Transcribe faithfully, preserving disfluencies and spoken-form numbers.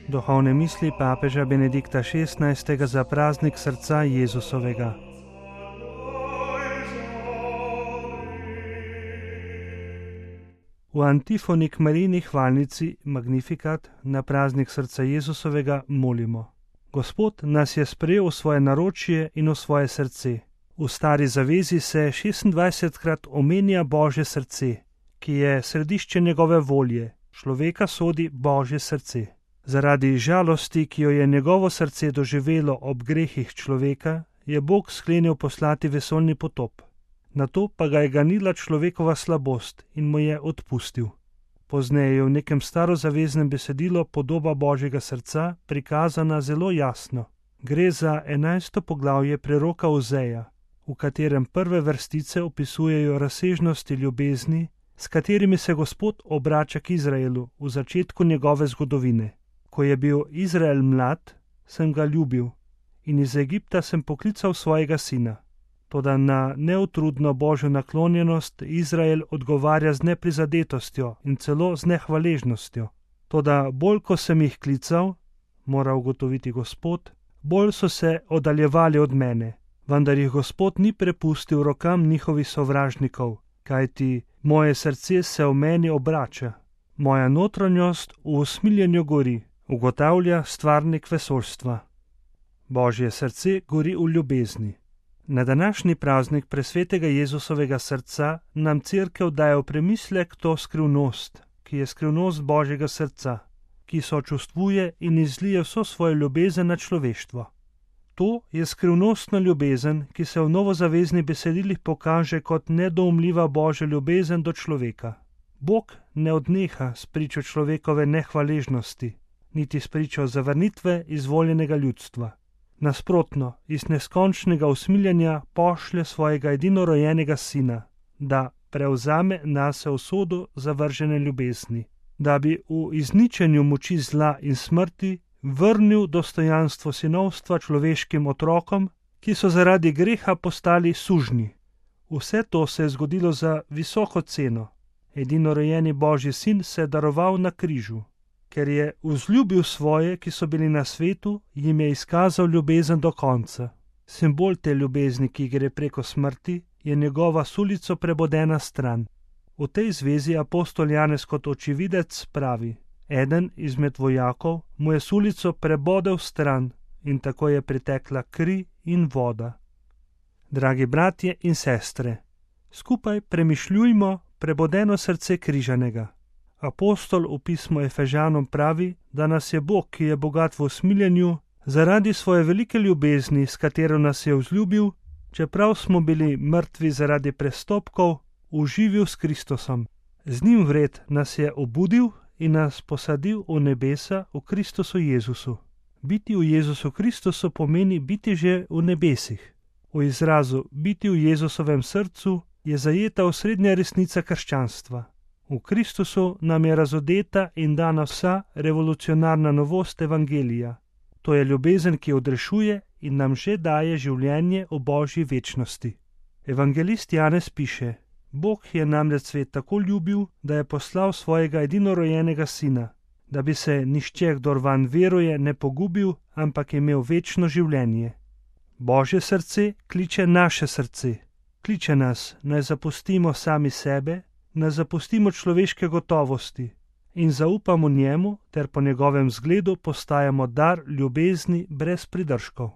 Duhovne misli papeža Benedikta šestnajstega za praznik srca Jezusovega. V antifoni k Marijini hvalnici Magnificat na praznik srca Jezusovega molimo: Gospod nas je sprejel v svoje naročje in v svoje srce. V stari zavezi se šestindvajsetkrat omenja Božje srce, ki je središče njegove volje, človeka sodi Božje srce. Zaradi žalosti, ki jo je njegovo srce doživelo ob grehih človeka, je Bog sklenil poslati vesoljni potop. Nato pa ga je ganila človekova slabost in mu je odpustil. Pozneje je v nekem starozaveznem besedilu podoba Božjega srca prikazana zelo jasno. Gre za enajsto poglavje preroka Ozeja, v katerem prve vrstice opisujejo razsežnosti ljubezni, s katerimi se Gospod obrača k Izraelu v začetku njegove zgodovine. Ko je bil Izrael mlad, sem ga ljubil in iz Egipta sem poklical svojega sina. Toda na neutrudno Božjo naklonjenost Izrael odgovarja z neprizadetostjo in celo z nehvaležnostjo. Toda bolj, ko sem jih klical, mora ugotoviti Gospod, bolj so se oddaljevali od mene, vendar jih Gospod ni prepustil rokam njihovih sovražnikov, kajti moje srce se v meni obrača, moja notranjost v usmiljenju gori, ugotavlja stvarnik vesoljstva. Božje srce gori v ljubezni. Na današnji praznik presvetega Jezusovega srca nam Cerkev daje v premislek to skrivnost, ki je skrivnost Božjega srca, ki sočustvuje in izlije vso svojo ljubezen na človeštvo. To je skrivnostna ljubezen, ki se v novozaveznih besedilih pokaže kot nedoumljiva Božja ljubezen do človeka. Bog ne odneha s pričo človekove nehvaležnosti, niti s pričo zavrnitve izvoljenega ljudstva. Nasprotno, iz neskončnega usmiljenja pošlje svojega edinorojenega sina, da prevzame nase usodo zavržene ljubezni, da bi v izničenju moči zla in smrti vrnil dostojanstvo sinovstva človeškim otrokom, ki so zaradi greha postali sužnji. Vse to se je zgodilo za visoko ceno. Edinorojeni Božji sin se je daroval na križu. Ker je vzljubil svoje, ki so bili na svetu, jim je izkazal ljubezen do konca. Simbol te ljubezni, ki gre preko smrti, je njegova sulico prebodena stran. V tej zvezi apostol Janez kot očividec pravi: eden izmed vojakov mu je sulico prebodel stran in tako je pritekla kri in voda. Dragi bratje in sestre, skupaj premišljujmo prebodeno srce križanega. Apostol v pismu Efežanom pravi, da nas je Bog, ki je bogat v usmiljenju, zaradi svoje velike ljubezni, s katero nas je vzljubil, čeprav smo bili mrtvi zaradi prestopkov, uživil s Kristusom. Z njim vred nas je obudil in nas posadil v nebesa v Kristusu Jezusu. Biti v Jezusu Kristusu pomeni biti že v nebesih. V izrazu biti v Jezusovem srcu je zajeta osrednja resnica krščanstva. V Kristusu nam je razodeta in dana vsa revolucionarna novost evangelija. To je ljubezen, ki odrešuje in nam že daje življenje v Božji večnosti. Evangelist Janez piše: Bog je namreč svet tako ljubil, da je poslal svojega edinorojenega sina, da bi se nihče, kdor vanj veruje, ne pogubil, ampak imel večno življenje. Božje srce kliče naše srce. Kliče nas, naj zapustimo sami sebe, naj zapustimo človeške gotovosti in zaupamo njemu ter po njegovem zgledu postajamo dar ljubezni brez pridržkov.